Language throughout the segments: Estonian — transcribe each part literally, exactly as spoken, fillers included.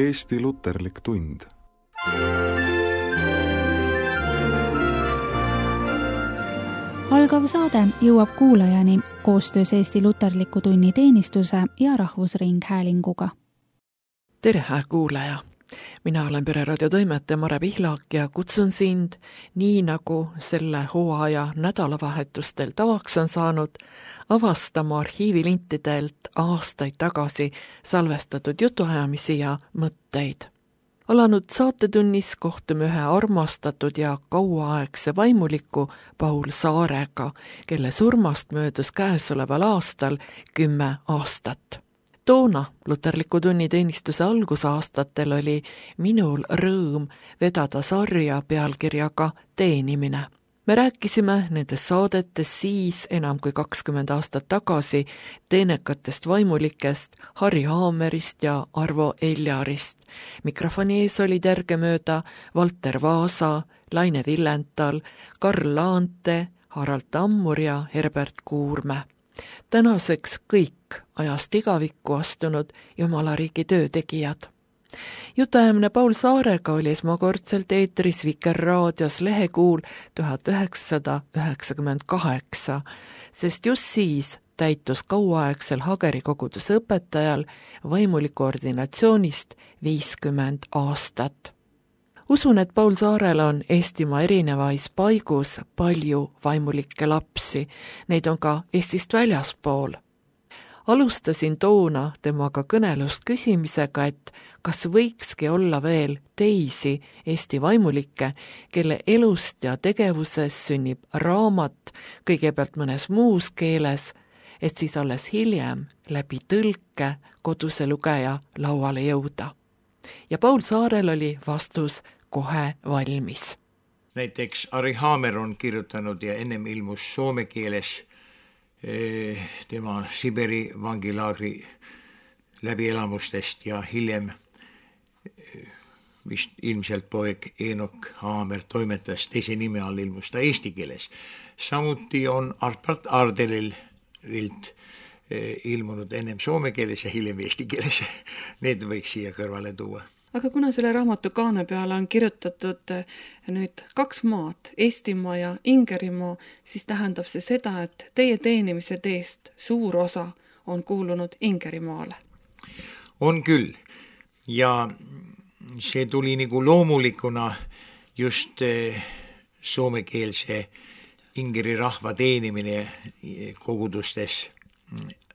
Eesti luterlik tund. Algav saade jõuab kuulajani koostöös Eesti luterliku tunni teenistuse ja Rahvusringhäälinguga. Tere, kuulaja! Mina olen Pereraadio toimetaja Mare Pihlak ja kutsun sind, nii nagu selle hooaja nädalavahetustel tavaks on saanud, avastama arhiivilintidelt aastaid tagasi salvestatud jutuajamisi ja mõtteid. Alanud saatetunnis kohtume ühe armastatud ja kauaaegse vaimuliku Paul Saarega, kelle surmast möödus käesoleval aastal kümme aastat. Toona luterliku tunni teenistuse algusaastatel oli minul rõõm vedada sarja pealkirjaga Teenimine. Me rääkisime nendes saadetes siis enam kui kakskümmend aastat tagasi teenekatest vaimulikest Harri Haamerist ja Arvo Eljarist. Mikrofoni ees olid järgemööda Valter Vaasa, Laine Villental, Karl Laante, Harald Tammur ja Herbert Kuurme. Tänaseks kõik ajast igavikku astunud Jumalariigi töötegijad. Jutajamine Paul Saarega oli esmakordselt eetris Vikerraadios lehekuul tuhat üheksasada üheksakümmend kaheksa, sest just siis täitus kauaaegsel Hageri koguduse õpetajal vaimuliku ordinatsioonist viiskümmend aastat. Usun, et Paul Saarel on Eestimaa erinevais paigus palju vaimulikke lapsi, neid on ka Eestist väljaspool. Alustasin toona temaga kõnelust küsimisega, et kas võikski olla veel teisi Eesti vaimulikke, kelle elust ja tegevuses sünnib raamat kõigepealt mõnes muus keeles, et siis alles hiljem läbi tõlke koduse lugeja lauale jõuda. Ja Paul Saarel oli vastus kohe valmis. Näiteks Harri Haamer on kirjutanud ja ennem ilmus soome keeles tema Siberi vangilaagri läbielamustest ja hiljem vist ilmselt poeg Eenok Haamer toimetas teise nime all ilmus ta eesti keeles. Samuti on Arpart Ardelilt ilmunud ennem soome keeles ja hiljem eesti keeles. Need võiks siia kõrvale tuua. Aga kuna selle raamatu kaane peale on kirjutatud nüüd kaks maad, Eestimaa ja Ingerimaa, siis tähendab see seda, et teie teenimise teest suur osa on kuulunud Ingerimaale. On küll. Ja see tuli nagu loomulikuna just soomekeelse ingeri rahva teenimine kogudustes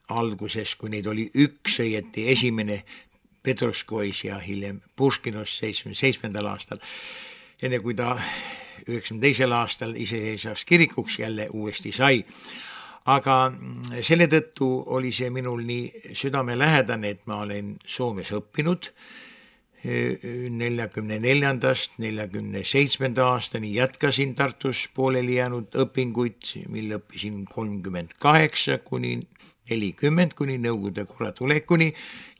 alguses, kui neid oli üks õieti esimene Petroskois ja hiljem Puškinos seitsmekümne seitsmendal aastal, enne kui ta üheksakümne teisel aastal iseseisvaks kirikuks jälle uuesti sai. Aga selle tõttu oli see minul nii südamelähedane, et ma olen Soomes õppinud neljakümne neljandast neljakümne seitsmenda aastani, jätkasin Tartus pooleli jäänud õpinguid, mille õppisin kolmkümmend kaheksa kuni nelikümmend kuni Nõukogude korra tulekuni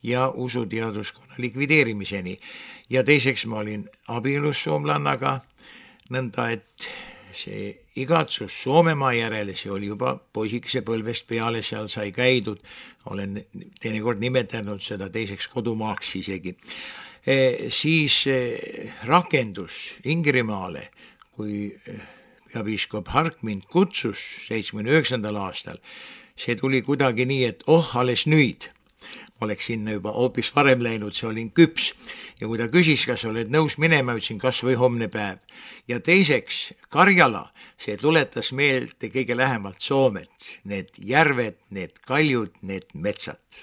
ja usuteaduskonna likvideerimiseni. Ja teiseks ma olin abielus soomlannaga, nõnda et see igatsus Soomemaa järele, see oli juba poisikese põlvest peale, seal sai käidud, olen teinekord nimetanud seda teiseks kodumaaks isegi. E, siis e, rakendus Ingerimaale, kui peapiiskop Hark mind kutsus seitsmekümne üheksandal aastal, see tuli kuidagi nii, et oh, alles nüüd. Ma oleks sinna juba hoopis varem läinud, see olin küps. Ja kui ta küsis, kas oled nõus minema, ütlesin kas või homne päev. Ja teiseks, Karjala, see tuletas meelde kõige lähemalt Soomet. Need järved, need kaljud, need metsad.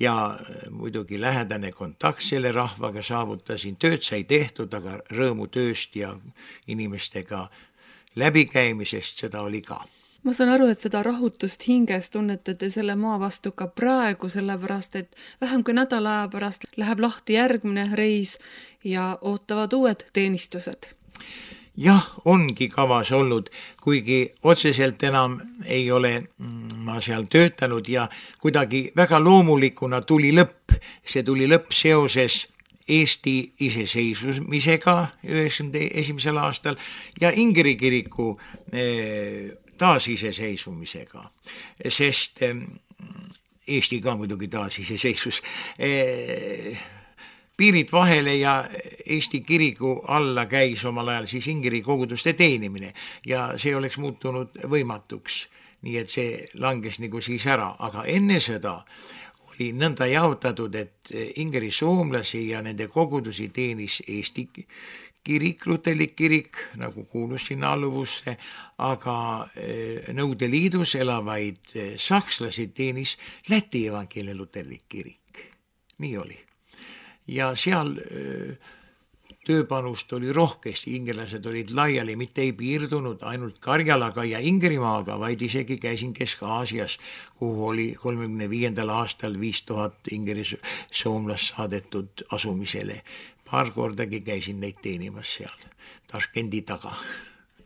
Ja muidugi lähedane kontakt selle rahvaga saavutasin. Tööd sai tehtud, aga rõõmu tööst ja inimestega läbikäimisest seda oli ka. Ma saan aru, et seda rahutust hinges tunnetate selle maa vastu ka praegu, sellepärast, et vähem kui nädala aja pärast läheb lahti järgmine reis ja ootavad uued teenistused. Jah, ongi kavas olnud, kuigi otseselt enam ei ole ma seal töötanud ja kuidagi väga loomulikuna tuli lõpp. See tuli lõpp seoses Eesti iseseisvumisega üheksakümne esimesel aastal ja Ingeri kiriku taasiseseisvumisega, sest Eesti ka muidugi taasiseseisvus. piirid vahele ja Eesti kiriku alla käis omal ajal siis ingeri koguduste teenimine ja see oleks muutunud võimatuks, nii et see langes nagu siis ära, aga enne seda oli nõnda jaotatud, et ingeri soomlasi ja nende kogudusi teenis Eesti kirik, luterlik kirik, nagu kuulus sinna alluvusse, aga Nõukogude Liidus elavaid sakslasi teenis Läti evangeelne luterlik kirik. Nii oli. Ja seal tööpanust oli rohkesti, ingelased olid laiali, mitte ei piirdunud ainult Karjalaga ja Ingerimaaga, vaid isegi käisin Kesk-Aasias, kuhu oli kolmekümne viiendal aastal viis tuhat ingeri soomlast saadetud asumisele. Paar kordagi käisin neid teenimas seal, Taškendi taga.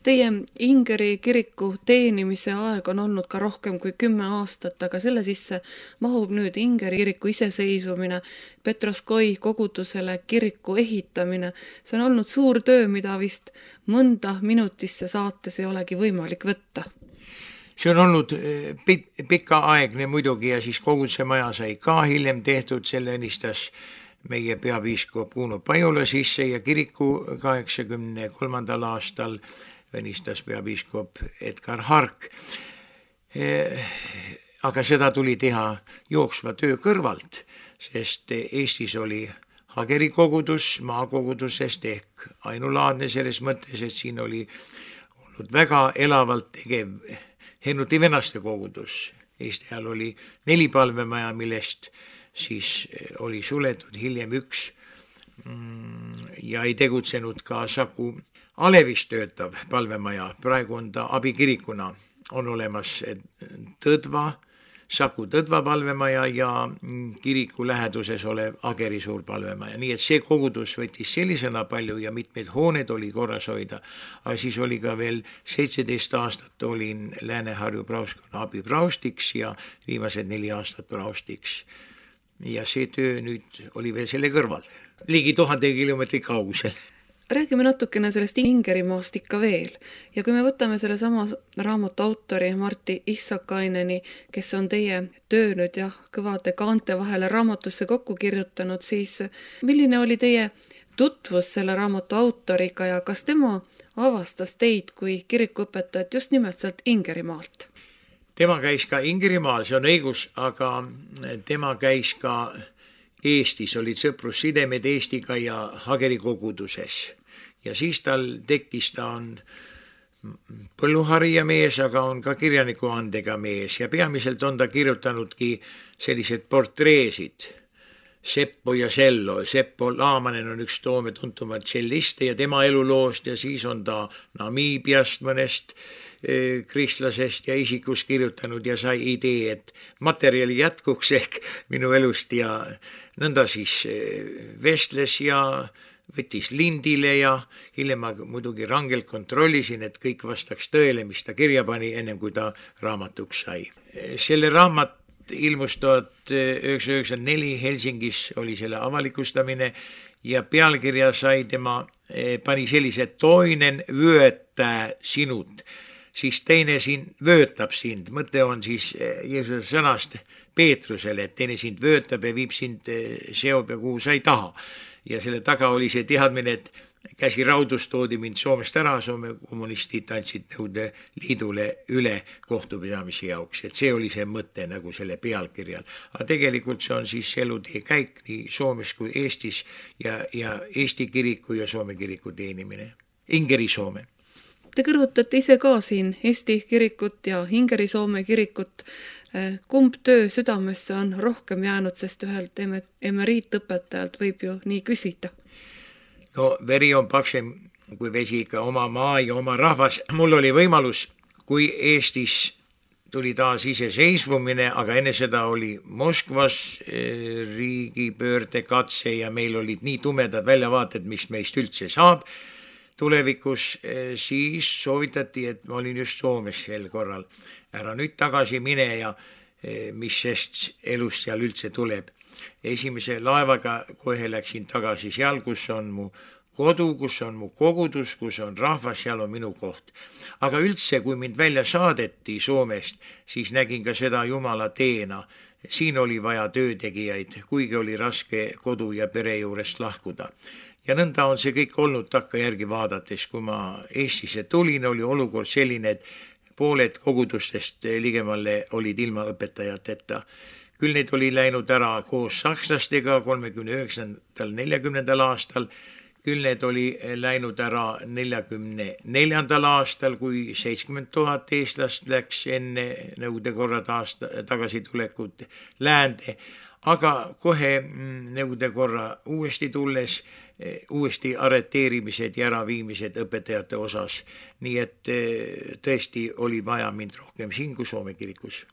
Teie Ingeri kiriku teenimise aeg on olnud ka rohkem kui kümme aastat, aga selle sisse mahub nüüd Ingeri kiriku iseseisvumine, Petroskoi kogudusele kiriku ehitamine. See on olnud suur töö, mida vist mõnda minutisse saates ei olegi võimalik võtta. See on olnud pika aegne muidugi ja siis koguduse maja sai ka hiljem tehtud, selle õnnistas meie peapiiskop Uno Pajula sisse ja kiriku kaheksakümne kolmandal aastal õnnistas peapiiskop Edgar Hark. Aga seda tuli teha jooksva töö kõrvalt, sest Eestis oli Hageri kogudus maakogudusest ehk ainulaadne selles mõttes, et siin oli olnud väga elavalt tegev Hennuti venaste kogudus. Eesti ajal oli neli palvemaja, millest siis oli suletud hiljem üks ja ei tegutsenud ka Saku Alevis töötav palvemaja. Praegu on ta abikirikuna, on olemas Tõdva, Saku Tõdva palvemaja ja kiriku läheduses olev Ageri suur palvemaja. Nii et see kogudus võttis sellisena palju ja mitmed hooned oli korras hoida, aga siis oli ka veel seitseteist aastat olin Lääne-Harju praoskonna abipraustiks ja viimased neli aastat praustiks. Ja see töö nüüd oli veel selle kõrval, ligi tuhande kilomeetri kaugusel. Räägime natukene sellest Ingerimaast ikka veel ja kui me võtame selle sama raamatu autori Martti Issakaineni, kes on teie töö nüüd jah, kõvade kaante vahele raamatusse kokku kirjutanud, siis milline oli teie tutvus selle raamatu autoriga ja kas tema avastas teid kui kirikuõpetajat just nimelt sealt Ingerimaalt? Tema käis ka Ingerimaal, see on õigus, aga tema käis ka Eestis, olid sõprussidemed Eestiga ja Hageri koguduses. Ja siis tal tekkis, ta on põlluharija mees, aga on ka kirjaniku andega mees ja peamiselt on ta kirjutanudki sellised portreesid. Seppo ja Sello. Seppo Laamanen on üks Toome tuntumad tšelliste ja tema eluloost ja siis on ta Namiibiast mõnest kristlasest ja isikus kirjutanud ja sai idee, et materjali jätkuks ehk minu elust ja nõnda siis vestles ja võttis lindile ja hiljem ma muidugi rangelt kontrollisin, et kõik vastaks tõele, mis ta kirja pani ennem kui ta raamatuks sai. Selle raamat ilmus tuhat üheksasada üheksakümmend neli Helsingis oli selle avalikustamine ja pealkirja sai tema, pani sellise toinen vöötä sinut, siis teine sind vöötab sind. Mõte on siis Jeesuse sõnast Peetrusele, et teine sind vöötab ja viib sind seob ja kuhu sa ei taha. Ja selle taga oli see teadmine, et käsi raudus toodi mind Soomest ära, Soome kommunistid andsid Nõukogude Liidule üle kohtupidamise jaoks, et see oli see mõte nagu selle pealkirjal. Aga tegelikult see on siis elutee käik nii Soomes kui Eestis ja, ja Eesti kiriku ja Soome kiriku teenimine. Ingeri Soome. Te kõrvutate ise ka siin Eesti kirikut ja Ingeri Soome kirikut. Kumb töö südamesse on rohkem jäänud, sest ühelt emeriitõpetajalt võib ju nii küsida? No veri on paksem kui vesi ikka oma maa ja oma rahvas. Mul oli võimalus, kui Eestis tuli taas iseseisvumine, aga enne seda oli Moskvas riigipöörde katse ja meil olid nii tumedad väljavaated, mis meist üldse saab tulevikus, siis soovitati, et ma olin just Soomes sel korral. Ära nüüd tagasi mine ja mis sest elust seal üldse tuleb. Esimese laevaga kohe läksin tagasi seal, kus on mu kodu, kus on mu kogudus, kus on rahvas, seal on minu koht. Aga üldse, kui mind välja saadeti Soomest, siis nägin ka seda Jumala teena. Siin oli vaja töötegijaid, kuigi oli raske kodu ja pere juurest lahkuda. Ja nõnda on see kõik olnud takkajärgi vaadates. Kui ma Eestisse tulin, oli olukord selline, et pooled kogudustest ligemalle olid ilma õpetajateta. Küll need oli läinud ära koos sakslastega kolmekümne üheksandal neljakümnendal aastal, küll need oli läinud ära neljakümne neljandal aastal, kui seitsekümmend tuhat eestlast läks enne Nõukogude korra taasta, tagasitulekut läände, aga kohe Nõukogude korra uuesti tulles, uuesti arreteerimised ja äraviimised õpetajate osas, nii et tõesti oli vaja mind rohkem siin kui Soome kirikus.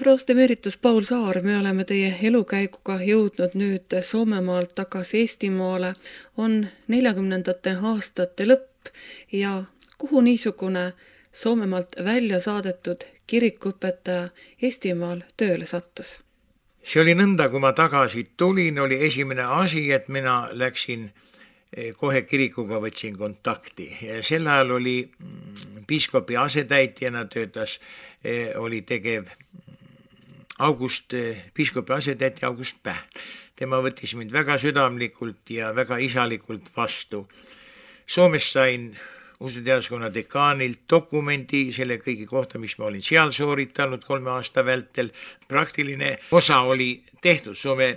Prost emeritus Paul Saar, me oleme teie elukäiguga jõudnud nüüd Soomemaalt tagasi Eestimaale, on neljakümnendate aastate lõpp ja kuhu niisugune Soomemaalt välja saadetud kirikuõpetaja Eestimaal tööle sattus? See oli nõnda, kui ma tagasi tulin, oli esimene asi, et mina läksin kohe kirikuga, võtsin kontakti. Sel ajal oli piiskopi asetäitjana töötas, oli tegev August, piiskopi asetäitja August Pähl. Tema võttis mind väga südamlikult ja väga isalikult vastu. Soomes sain usuteaduskonna dekaanilt dokumendi selle kõigi kohta, mis ma olin seal sooritanud kolme aasta vältel. Praktiline osa oli tehtud. Soome,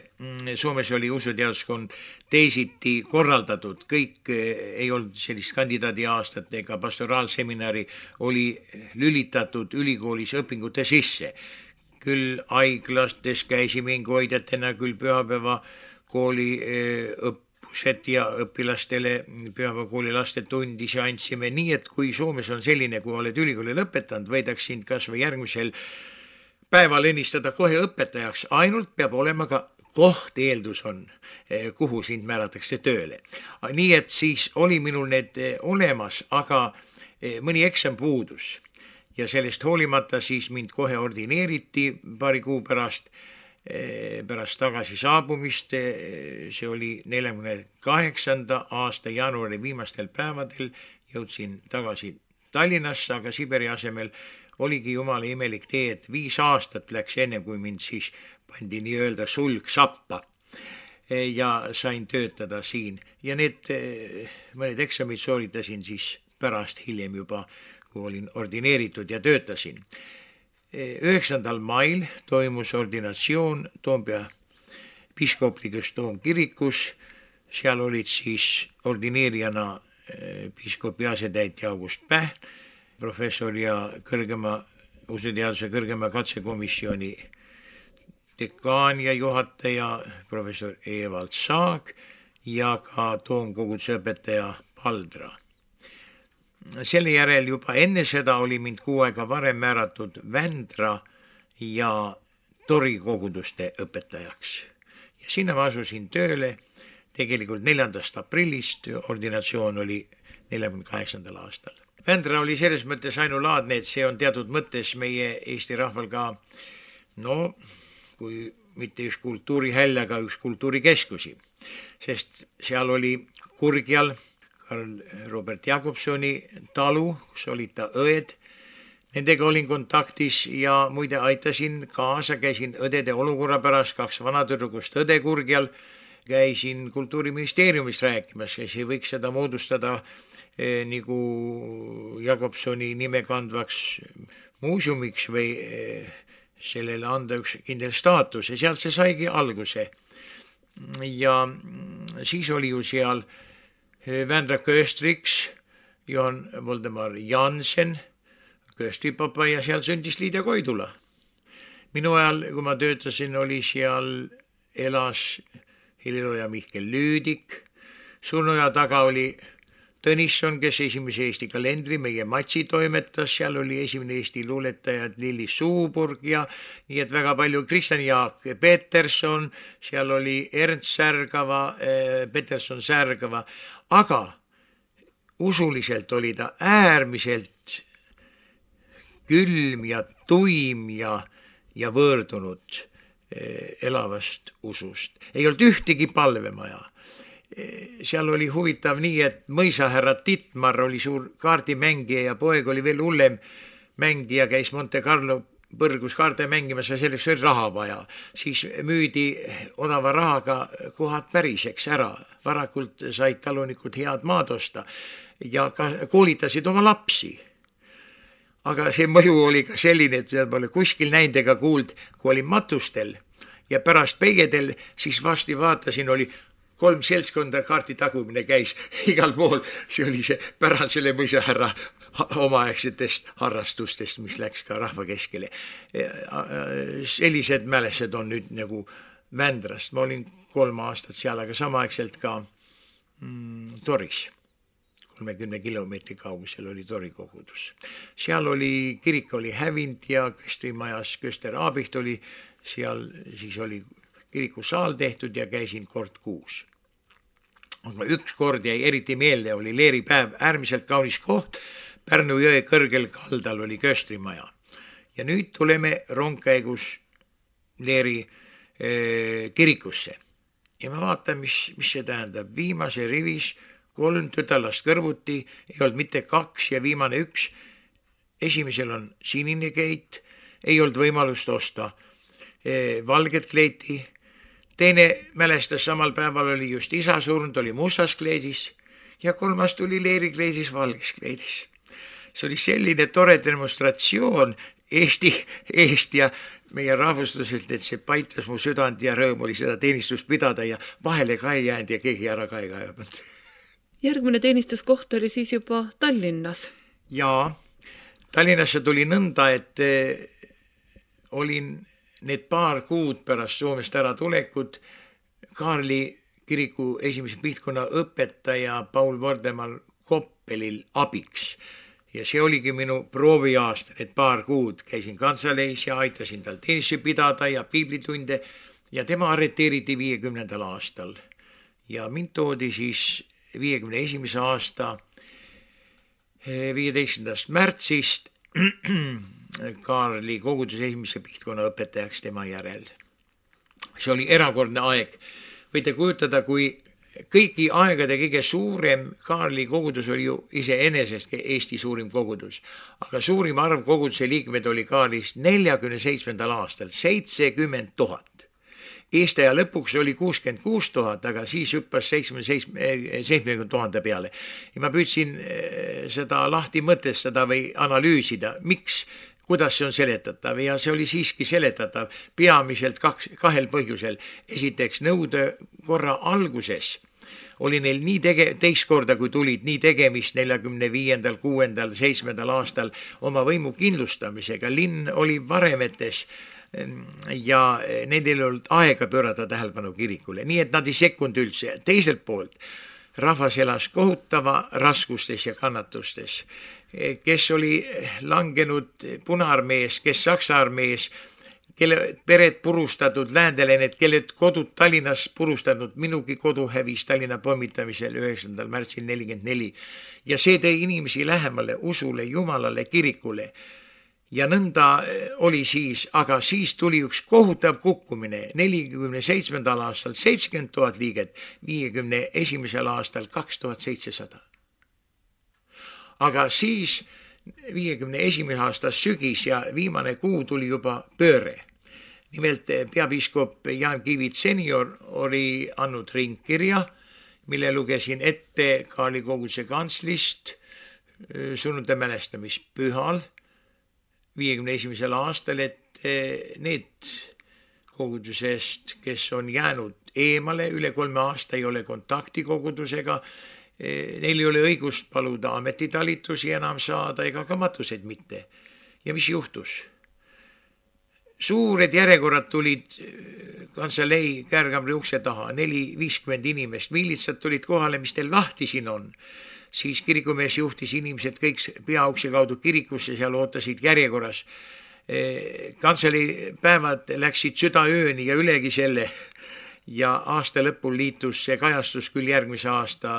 Soomes oli usuteaduskond teisiti korraldatud. Kõik ei olnud sellist kandidaadi aastat ega pastoraalseminari oli lülitatud ülikoolis õpingute sisse. Küll haiglastes käisime ingoidjatena, küll pühapäeva kooli õppused ja õpilastele pühapäeva kooli laste tundise andsime. Nii, et kui Soomes on selline, kui oled ülikooli lõpetanud, võidaks sind kas või järgmisel päeval ennistada kohe õpetajaks. Ainult peab olema ka koht, eeldus on, kuhu sind määratakse tööle. Nii, et siis oli minul need olemas, aga mõni eksam puudus. Ja sellest hoolimata siis mind kohe ordineeriti paari kuu pärast, pärast tagasi saabumist. See oli neljakümne kaheksanda aasta jaanuari viimastel päevadel. Jõudsin tagasi Tallinnasse, aga Siberi asemel oligi jumala imelik tee, et viis aastat läks enne, kui mind siis pandi nii-öelda sulg sappa ja sain töötada siin. Ja need mõned eksamid sooritasin siis pärast hiljem juba, kui olin ordineeritud ja töötasin. üheksandal mail toimus ordinatsioon Toompea piiskoplikus toomkirikus. Seal olid siis ordineerijana piiskopi asetäitja August Pähn, professor ja kõrgema usuteaduse kõrgema katsekomisjoni dekaan ja juhataja professor Evald Saag ja ka toomkoguduse õpetaja Paldra. Selle järel juba enne seda oli mind kuu aega varem määratud Vändra ja Tori koguduste õpetajaks. Ja sinna ma asusin tööle tegelikult neljandast aprillist, ordinatsioon oli neljakümne kaheksandal aastal. Vändra oli selles mõttes ainulaadne, et see on teatud mõttes meie Eesti rahval ka, no kui mitte üks kultuurihäll, aga üks kultuurikeskusi, sest seal oli Kurgjal Karl Robert Jakobsoni talu, kus olid ta õed. Nendega olin kontaktis ja muide aitasin kaasa, käisin õdede olukorra pärast, kaks vanatüdrukust õde Kurgjal, käisin kultuuriministeeriumist rääkimas, kes ei võiks seda moodustada eh, nagu Jakobsoni nime kandvaks muuseumiks või eh, sellele anda üks kindel staatus ja sealt see saigi alguse. Ja siis oli ju seal Vändra kööstriks, Johan Voldemar Jansen, kööstripapa ja seal sündis Liidia Koidula. Minu ajal, kui ma töötasin, oli seal elas heliloja Mihkel Lüüdik, surnuaja taga oli Tõnisson, kes esimese Eesti kalendri meie Matsi toimetas, seal oli esimene Eesti luuletajad Lilli Suuburg ja nii et väga palju Kristjan Jaak Peterson, seal oli Ernst Särgava, Peterson Särgava, aga usuliselt oli ta äärmiselt külm ja tuim ja, ja võõrdunud elavast usust. Ei olnud ühtegi palvemaja. Seal oli huvitav nii, et mõisahärra Titmar oli suur kaardimängija ja poeg oli veel hullem mängija, käis Monte Carlo põrgus kaarte mängimas ja selleks oli raha vaja. Siis müüdi odava rahaga kohad päriseks ära. Varakult said talunikud head maad osta ja ka koolitasid oma lapsi. Aga see mõju oli ka selline, et seal pole kuskil näinud ega kuuld, kui olin matustel ja pärast peigedel, siis vasti vaatasin, oli kolm seltskonda kaarti tagumine käis igal pool. See oli see pärand selle mõisahärra omaaegsetest harrastustest, mis läks ka rahva keskele. Sellised mälesed on nüüd nagu Vändrast. Ma olin kolm aastat seal, aga samaaegselt ka mm, Toris. kolmekümne kilomeetri kaugusel oli Tori kogudus. Seal oli, kirik oli hävind ja köstrimajas Köster Aabiht oli, seal siis oli kirikusaal tehtud ja käisin kord kuus. Aga üks kord jäi eriti meelde, oli leeripäev, äärmiselt kaunis koht, Pärnu jõe kõrgel kaldal oli köstrimaja. Ja nüüd tuleme rongkäigus leeri eh, kirikusse. Ja ma vaatan, mis, mis see tähendab. Viimase rivis kolm tütalast kõrvuti, ei olnud mitte kaks ja viimane üks. Esimesel on sinine keit, ei olnud võimalust osta eh, valget kleiti. Teine mälestas samal päeval oli just isa surnud, oli mustas kleedis. ja kolmas tuli leerikleidis valges kleidis. See oli selline tore demonstratsioon Eesti eest ja meie rahvuslaselt, et see paitas mu südant ja rõõm oli seda teenistust pidada ja vahele ka ei jäänud ja keegi ära ka ei kaevanud. Järgmine teenistuskoht oli siis juba Tallinnas. Jaa, Tallinnasse tuli nõnda, et olin need paar kuud pärast Soomest ära tulekut Kaarli kiriku esimese pihtkonna õpetaja Paul Vordemal Koppelil abiks. Ja see oligi minu prooviaasta, et paar kuud käisin kantsaleis ja aitasin tal teenisse pidada ja piiblitunde ja tema arreteeriti viiekümnendal aastal. Ja mind toodi siis viiekümne esimese aasta viieteistkümnendast märtsist Kaarli koguduse esimese pihtkonna õpetajaks tema järel. See oli erakordne aeg. Võite kujutada, kui kõigi aegade kõige suurem Kaarli kogudus oli ju iseenesest Eesti suurim kogudus, aga suurim arv koguduse liikmed oli Kaarlis neljakümne seitsmendal aastal, seitsekümmend tuhat. Eesti aja lõpuks oli kuuskümmend kuus tuhat, aga siis hüppas seitsmekümne tuhande peale. Ja ma püüdsin seda lahti mõtestada või analüüsida, miks, kuidas see on seletatav ja see oli siiski seletatav peamiselt kaks, kahel põhjusel. Esiteks nõude korra alguses oli neil nii tege-, teist korda, kui tulid nii tegemist neljakümne viiendal, kuuendal, seitsmendal aastal oma võimu kindlustamisega. Linn oli varemetes ja neil ei olnud aega pöörata tähelepanu kirikule, nii et nad ei sekkunud üldse. Teiselt poolt rahvas elas kohutava raskustes ja kannatustes, kes oli langenud Punaarmees, kes Saksa armees, kelle pered purustatud, läändelened, kelle kodud Tallinnas purustatud, minugi kodu hävis Tallinna pommitamisel üheksandal märtsil nelikümmend neli. Ja see tõi inimesi lähemale usule, Jumalale, kirikule. Ja nõnda oli siis, aga siis tuli üks kohutav kukkumine. nelikümne seitsmendal aastal seitsekümmend tuhat liiget, viiekümne esimesel aastal kaks tuhat seitsesada. Aga siis viiekümne esimese aasta sügis ja viimane kuu tuli juba pööre. Nimelt peapiiskop Jaan Kivit senior oli andnud ringkirja, mille lugesin ette Kaarli koguduse kantslist surnute mälestamispühal viiekümne esimesel aastal, et need kogudusest, kes on jäänud eemale, üle kolme aasta ei ole kontakti kogudusega, neil ei ole õigust paluda ametitalitusi enam saada ega ka matuseid mitte. Ja mis juhtus? Suured järjekorrad tulid kantselei Kärgamri ukse taha, neli viiskümmend inimest, millitsad tulid kohale, mis teil lahti siin on. Siis kirikumees juhtis inimesed kõik peaukse kaudu kirikusse, seal ootasid järjekorras. Kantselei päevad läksid südaööni ja ülegi selle ja aasta lõpul liitus see kajastus küll järgmise aasta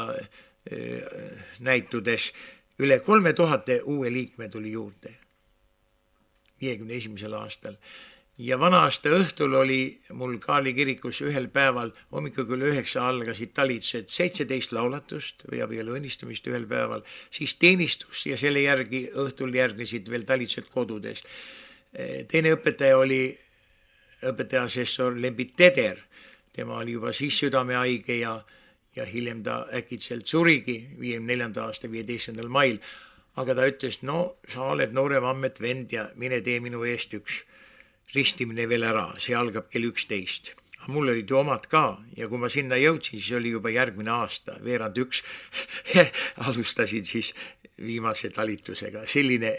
näitudes. Üle kolme tuhate uue liikme tuli juurde viiekümne esimesel aastal. Ja vana aasta õhtul oli mul Kaarli kirikus ühel päeval, hommikul küll üheksa algasid talitused, seitseteist laulatust või abielu õnnistamist ühel päeval, siis teenistus ja selle järgi õhtul järgnesid veel talitused kodudes. Teine õpetaja oli õpetaja asessor Lembit Teder, tema oli juba siis südamehaige ja, ja hiljem ta äkitselt surigi viiekümne neljanda aasta viieteistkümnendal mail. Aga ta ütles, no sa oled noorem ammet vend ja mine tee minu eest üks ristimine veel ära, see algab kell üksteist. Mul olid ju omad ka ja kui ma sinna jõudsin, siis oli juba järgmine aasta, veerand üks alustasid siis viimase talitusega. Selline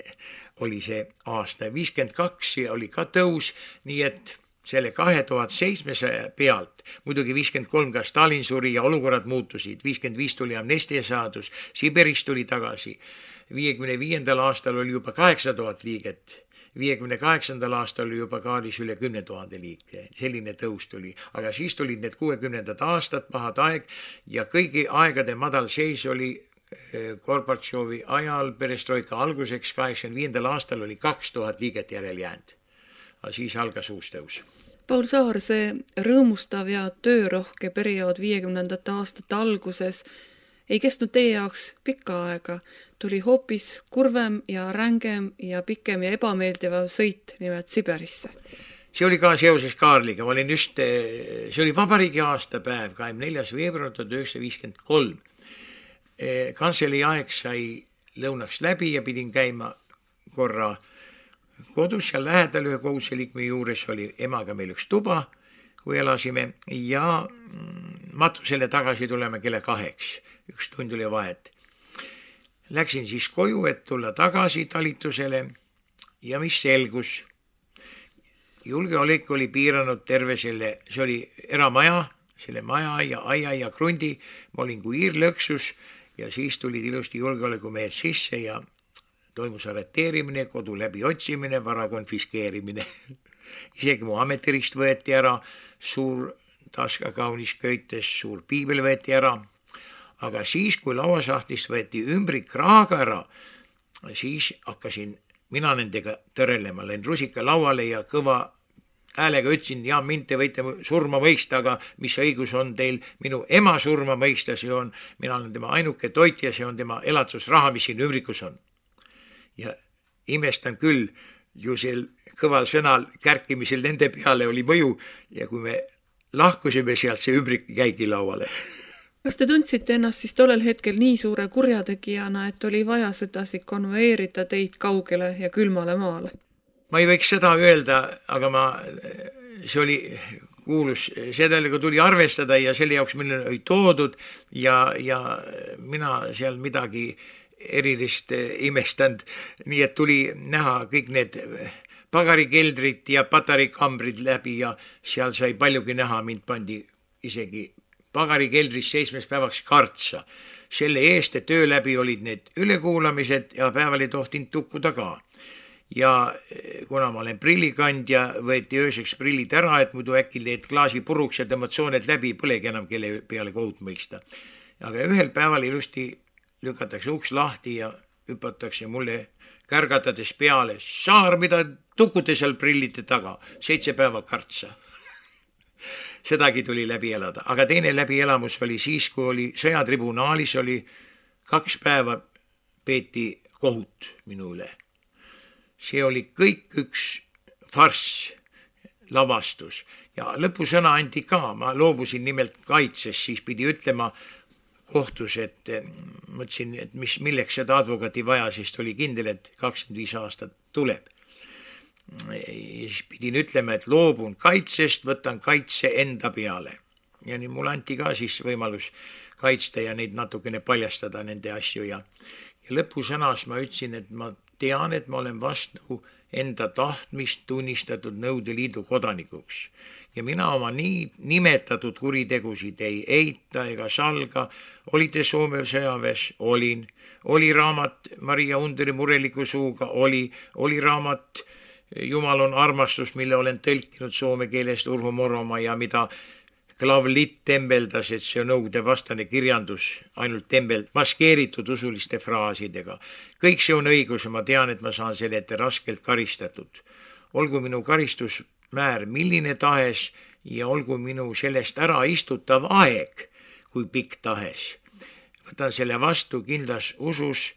oli see aasta. viiskümmend kaks oli ka tõus, nii et selle kahe tuhande seitsmesaja pealt, muidugi viiskümmend kolm ka Stalin suri ja olukorrad muutusid, viiskümmend viis tuli amnestia saadus, Siberist tuli tagasi. viiekümne viiendal aastal oli juba kaheksa tuhat liiget, viiekümne kaheksandal aastal oli juba Kaarlis üle kümne tuhande liike, selline tõus tuli. Aga siis tulid need kuuekümnendad aastad, pahad aeg ja kõigi aegade madal seis oli Gorbatšovi ajal perestroika alguseks kaheksakümne viiendal aastal oli kaks tuhat liiget järel jäänud. Aga siis algas uus tõus. Paul Saar, see rõõmustav ja töörohke periood viiekümnendate aastate alguses ei kestnud teie jaoks pikka aega. Tuli hoopis kurvem ja rängem ja pikem ja ebameeldiva sõit nimelt Siberisse. See oli ka seoses Kaarliga. Ma olin just, see oli vabariigi aastapäev, kahekümne neljas veebruar tuhat üheksasada viiskümmend kolm. kantselei aeg sai lõunaks läbi ja pidin käima korra kodus ja lähedal ühe koguduse liikme juures oli emaga meil üks tuba, kui elasime ja matusele tagasi tuleme kella kaheks, üks tund oli vahet. Läksin siis koju, et tulla tagasi talitusele ja mis selgus. Julgeolek oli piiranud terve selle, see oli eramaja, selle maja ja aia ja krundi, ma olin kui iirlõksus ja siis tulid ilusti julgeolekumehed sisse ja toimus arreteerimine, kodu läbi otsimine, vara konfiskeerimine. Isegi mu ametirist võeti ära, suur taska kaunis köites, suur piibel võeti ära, aga siis, kui lauasahtlist võeti ümbrik raaga ära, siis hakkasin mina nendega tõrelema, läin rusika lauale ja kõva häälega ütlesin, ja mind te võite surma mõista, aga mis õigus on teil minu ema surma mõista, see on, mina olen tema ainuke toitja, see on tema elatusraha, mis siin ümbrikus on. Ja imestan küll, ju sel kõval sõnal kärkimisel nende peale oli mõju ja kui me lahkusime sealt, see ümbrik käigi lauale. Kas te tundsite ennast siis tollel hetkel nii suure kurjategijana, et oli vaja sedasi konveerida teid kaugele ja külmale maale? Ma ei võiks seda öelda, aga ma, see oli kuulus, sedeliga tuli arvestada ja selle jaoks minna oli toodud ja, ja mina seal midagi erilist imestanud, nii et tuli näha kõik need pagarikeldrid ja patarikambrid läbi ja seal sai paljugi näha, mind pandi isegi pagarikeldris seitsmes päevaks kartsa. Selle eest, et öö läbi olid need ülekuulamised ja päeval ei tohtinud tukkuda ka. Ja kuna ma olen prillikandja, võeti ööseks prillid ära, et muidu äkki leed klaasi puruks ja tõmmad sooned läbi, põlegi enam kelle peale kohut mõista. Aga ühel päeval ilusti lükatakse uks lahti ja hüpatakse mulle kärgatades peale, saar, mida tukute seal prillite taga, seitse päeva kartsa. Sedagi tuli läbi elada, aga teine läbielamus oli siis, kui oli sõjatribunaalis, oli kaks päeva peeti kohut minu üle. See oli kõik üks farss, lavastus ja lõpusõna anti ka, ma loobusin nimelt kaitses, siis pidi ütlema kohtus, et mõtlesin, et mis, milleks seda advokaati vaja, sest oli kindel, et kakskümmend viis aastat tuleb. Ja siis pidin ütlema, et loobun kaitsest, võtan kaitse enda peale. Ja nii mul anti ka siis võimalus kaitsta ja neid natukene paljastada nende asju ja, ja lõpusõnas ma ütlesin, et ma tean, et ma olen vastu enda tahtmist tunnistatud Nõukogude Liidu kodanikuks. Ja mina oma nii nimetatud kuritegusid ei eita ega salga. Olite Soome sõjaväes? Olin. Oli raamat Maria Underi mureliku suuga? Oli. Oli raamat Jumal on armastus, mille olen tõlkinud soome keelest Urho Moromaa ja mida Klav Litt tembeldas, et see on nõukogude vastane kirjandus, ainult tembeld, maskeeritud usuliste fraasidega. Kõik see on õigus ja ma tean, et ma saan selle ette raskelt karistatud. Olgu minu karistusmäär milline tahes ja olgu minu sellest ära istutav aeg, kui pikk tahes. Võtan selle vastu kindlas usus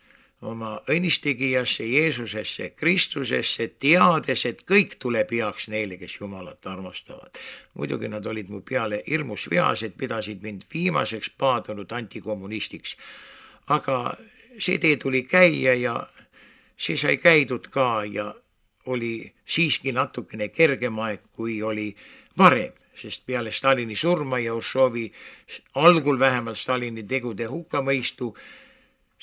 oma õnnistegijasse, Jeesusesse, Kristusesse, teades, et kõik tuleb heaks neile, kes Jumalat armastavad. Muidugi nad olid mu peale hirmus veased, pidasid mind viimaseks paadunud antikommunistiks. Aga see tee tuli käia ja see sai käidud ka ja oli siiski natukene kergem aeg, kui oli varem, sest peale Stalini surma ja Ušovi algul vähemalt Stalini tegude hukkamõistu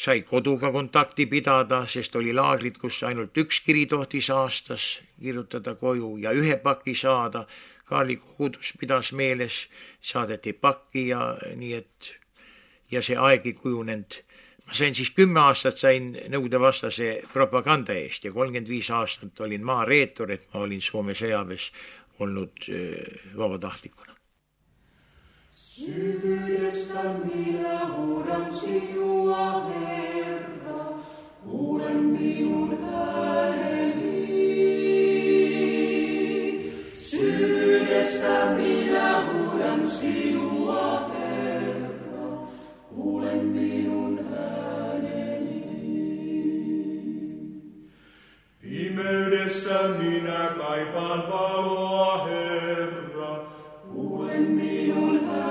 sai koduga kontakti pidada, sest oli laagrid, kus ainult üks kiri tohtis aastas kirjutada koju ja ühe paki saada. Kaarli kogudus pidas meeles, saadeti pakki ja nii et ja see aeg ei kujunenud. Ma sain siis kümme aastat sain Nõukogude vastase propaganda eest ja kolmkümmend viis aastat olin maareetur, et ma olin Soome sõjaväes olnud vabatahtlikuna. Syvyydestä minä huudan sinua, Herra, kuulen minun ääneni. Syvyydestä minä huudan sinua, Herra, kuulen minun ääneni. Pimeydessä minä kaipaan valoa, Herra, kuulen minun ääneni.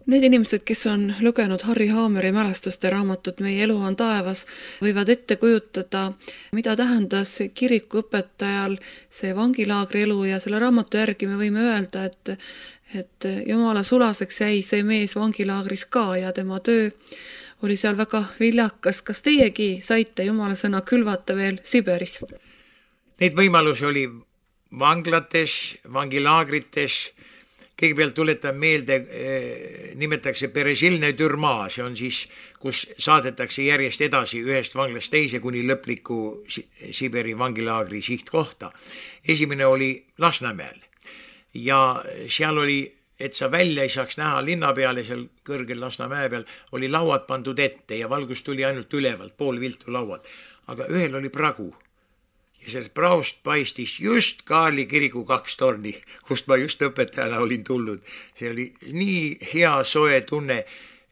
Need inimesed, kes on lugenud Harri Haameri mälestuste raamatut Meie elu on taevas, võivad ette kujutada, mida tähendas kirikuõpetajal see vangilaagri elu ja selle raamatu järgi me võime öelda, et, et Jumala sulaseks jäi see mees vangilaagris ka ja tema töö oli seal väga viljakas. Kas teiegi saite Jumala sõna külvata veel Siberis? Neid võimalusi oli vanglates, vangilaagrites. Kõigepealt tuletan meelde, nimetatakse Peresilne türmaa, see on siis, kus saadetakse järjest edasi ühest vanglast teise kuni lõpliku Siberi vangilaagri sihtkohta. Esimene oli Lasnamäel ja seal oli, et sa välja ei saaks näha linna peale, seal kõrgel Lasnamäe peal, oli lauad pandud ette ja valgus tuli ainult ülevalt, pool viltu lauad, aga ühel oli pragu. Ja sellest praost paistis just Kaarli kiriku kaks torni, kust ma just õpetajana olin tulnud. See oli nii hea soe tunne.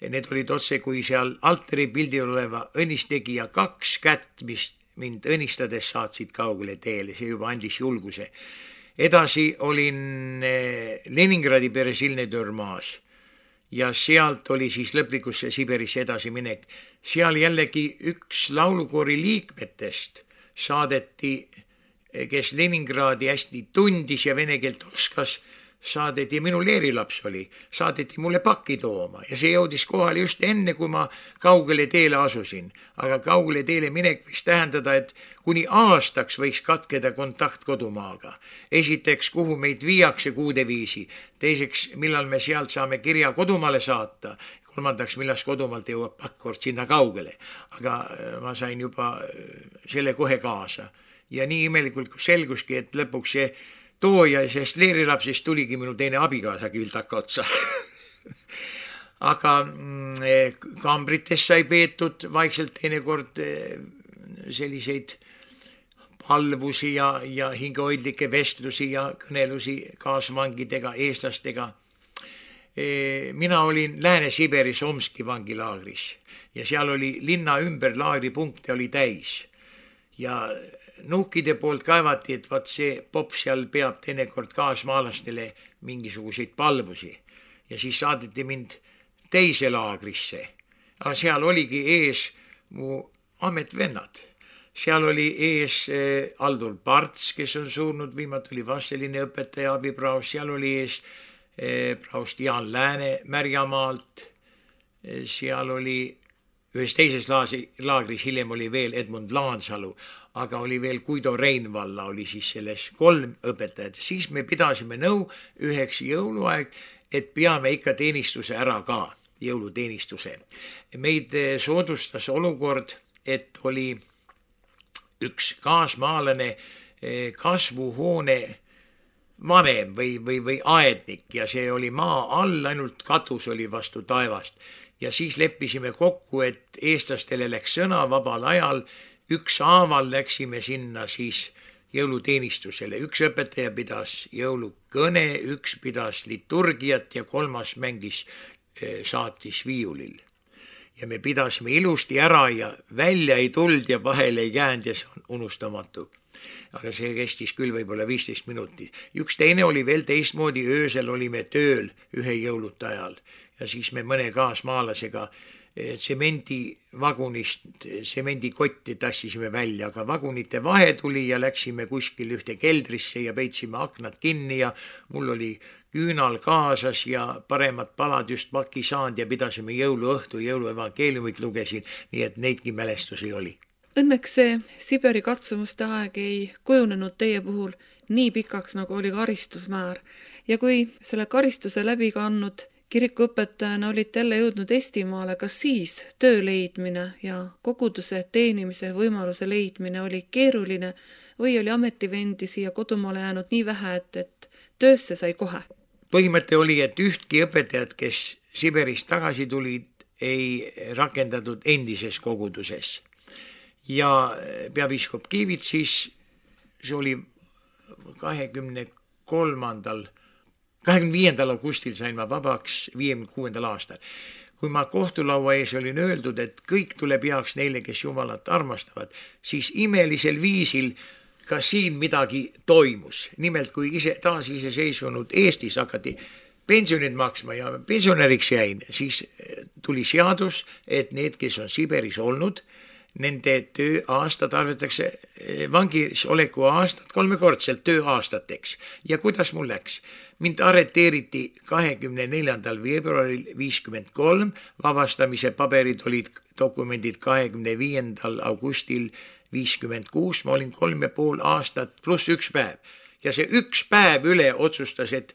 Need olid otse kui seal altari pildil oleva õnnistegija kaks kätt, mis mind õnnistades saatsid kaugele teele. See juba andis julguse. Edasi olin Leningradi Peresilne türmaas ja sealt oli siis lõplikusse Siberisse edasi minek. Seal jällegi üks laulukoori liikmetest saadeti, kes Leningradi hästi tundis ja vene keelt oskas, saadeti, minu leerilaps oli, saadeti mulle pakki tooma ja see jõudis kohale just enne, kui ma kaugele teele asusin. Aga kaugele teele minek võiks tähendada, et kuni aastaks võiks katkeda kontakt kodumaaga. Esiteks, kuhu meid viiakse kuude viisi. Teiseks, millal me sealt saame kirja kodumaale saata. Kolmandaks, millal kodumaalt jõuab pakkord sinna kaugele. Aga ma sain juba selle kohe kaasa. Ja nii imelikult kui selguski, et lõpuks see tooja sest leerilapsest tuligi minu teine abikaasa küldaka otsa. Aga kambrites sai peetud vaikselt teinekord selliseid palvusi ja, ja hingehoidlikke vestlusi ja kõnelusi kaasvangidega, eestlastega. Mina olin Lääne-Siberis Omski vangilaagris ja seal oli linna ümber laagripunkte oli täis ja nuhkide poolt kaevati, et vaat see popp seal peab teinekord kaasmaalastele mingisuguseid palvusi ja siis saadeti mind teise laagrisse. Aga seal oligi ees mu ametvennad. Seal oli ees Aldur Parts, kes on surnud, viimati oli Vasseline õpetaja abipraos, seal oli ees praost Jaan Lääne Märjamaalt, seal oli ühes teises laagris, hiljem oli veel Edmund Laansalu, aga oli veel Guido Reinvalla, oli siis selles kolm õpetajat. Siis me pidasime nõu üheks jõuluaeg, et peame ikka teenistuse ära ka, jõuluteenistuse. Meid soodustas olukord, et oli üks kaasmaalane kasvuhoone vanem või, või, või aednik ja see oli maa all, ainult katus oli vastu taevast. Ja siis leppisime kokku, et eestlastele läks sõna vabal ajal, üks aaval läksime sinna siis jõuluteenistusele. Üks õpetaja pidas jõulukõne, üks pidas liturgiat ja kolmas mängis, saatis viiulil. Ja me pidasime ilusti ära ja välja ei tuld ja vahele ei jäänud ja see on unustamatu. Aga see kestis küll võib-olla viisteist minutit. Üks teine oli veel teistmoodi, öösel olime tööl ühe jõuluta ajal ja siis me mõne kaasmaalasega tsemendivagunist, tsemendikotti tassisime välja, aga vagunite vahe tuli ja läksime kuskil ühte keldrisse ja peitsime aknad kinni ja mul oli küünal kaasas ja paremad palad just paki saanud ja pidasime jõuluõhtu, jõuluevangeeliumit lugesin, nii et neidki mälestusi oli. Õnneks see Siberi katsumuste aeg ei kujunenud teie puhul nii pikaks, nagu oli karistusmäär. Ja kui selle karistuse läbi kannud kirikuõpetajana olite jälle jõudnud Eestimaale, kas siis töö leidmine ja koguduse teenimise võimaluse leidmine oli keeruline või oli ametivendi siia kodumaale jäänud nii vähe, et, et töösse sai kohe? Põhimõte oli, et ühtki õpetajad, kes Siberist tagasi tulid, ei rakendatud endises koguduses. Ja peapiiskop Kiivits siis, see oli kahekümne kolmandal, kahekümne viiendal augustil sain ma vabaks viiekümne kuuendal aastal. Kui ma kohtulaua ees olin öeldud, et kõik tuleb heaks neile, kes Jumalat armastavad, siis imelisel viisil ka siin midagi toimus. Nimelt, kui ise taas iseseisvunud Eestis hakati pensionid maksma ja pensionäriks jäin, siis tuli seadus, et need, kes on Siberis olnud, nende tööaastad arvatakse vangis oleku aastat kolmekordselt tööaastateks. Ja kuidas mul läks? Mind arreteeriti kahekümne neljandal veebruaril viiskümmend kolm, vabastamise paberid olid dokumendid kahekümne viiendal augustil viiskümmend kuus, ma olin kolm ja pool aastat pluss üks päev. Ja see üks päev üle otsustas, et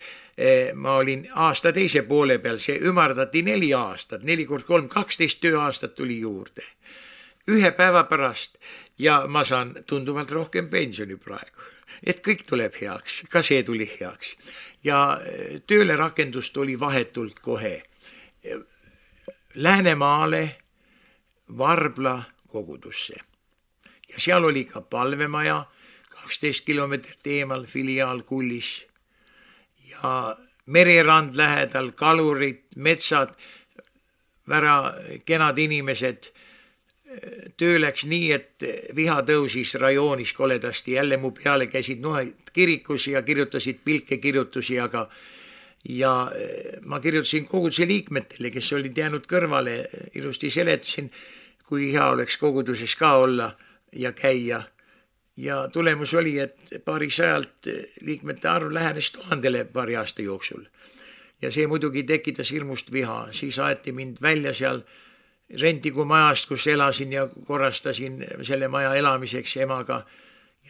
ma olin aasta teise poole peal, see ümardati neli aastat, neli kord kolm, kaksteist tööaastat tuli juurde. Ühe päeva pärast ja ma saan tunduvalt rohkem pensioni praegu. Et kõik tuleb heaks, ka see tuli heaks. Ja tööle rakendust oli vahetult kohe Läänemaale Varbla kogudusse. Ja seal oli ka palvemaja, kaksteist kilomeetrit eemal filiaal Kullis ja mererand lähedal, kalurid, metsad, väga kenad inimesed. Töö läks nii, et viha tõusis rajoonis koledasti, jälle mu peale käisid nohed kirikus ja kirjutasid pilkekirjutusi, aga ja ma kirjutasin koguduse liikmetele, kes olid jäänud kõrvale, ilusti seletasin, kui hea oleks koguduses ka olla ja käia. Ja tulemus oli, et paari sajalt liikmete arv lähenes tuhandele paari aasta jooksul. Ja see muidugi tekitas hirmust viha, siis aeti mind välja seal Rentiku majast, kus elasin ja korrastasin selle maja elamiseks emaga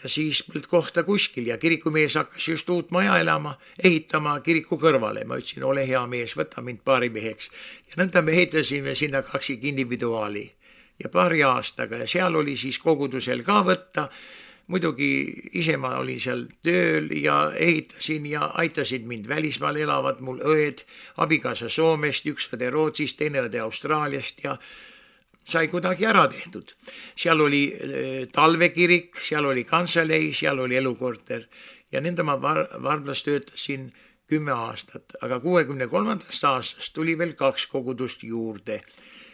ja siis polnud kohta kuskil ja kirikumees hakkas just uut maja elama, ehitama kiriku kõrvale. Ma ütlesin, ole hea mees, võta mind paari meheks. Ja nõnda me ehitasime sinna kaksik individuaali ja paari aastaga ja seal oli siis kogudusel ka võtta. Muidugi ise ma olin seal tööl ja ehitasin ja aitasid mind välismaal elavad mul õed, abikaasa Soomest, üks õde Rootsist, teine õde Austraaliast ja sai kuidagi ära tehtud. Seal oli talvekirik, seal oli kanselei, seal oli elukorter ja nende ma Varblas töötasin kümme aastat, aga kuuekümne kolmandast aastast tuli veel kaks kogudust juurde.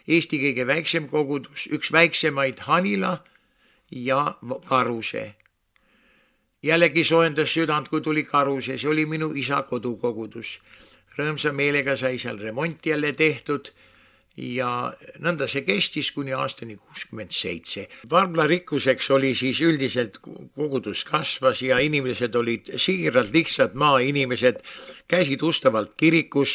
Eesti kõige väiksem kogudus, üks väiksemaid Hanila ja Karuse. Jällegi soojendas südant, kui tuli Karuse, see oli minu isa kodukogudus. Rõõmsa meelega sai seal remonti jälle tehtud ja nõnda see kestis kuni aastani kuuskümmend seitse. Varbla rikkuseks oli siis üldiselt kogudus kasvas ja inimesed olid siiralt lihtsad maainimesed, käisid ustavalt kirikus,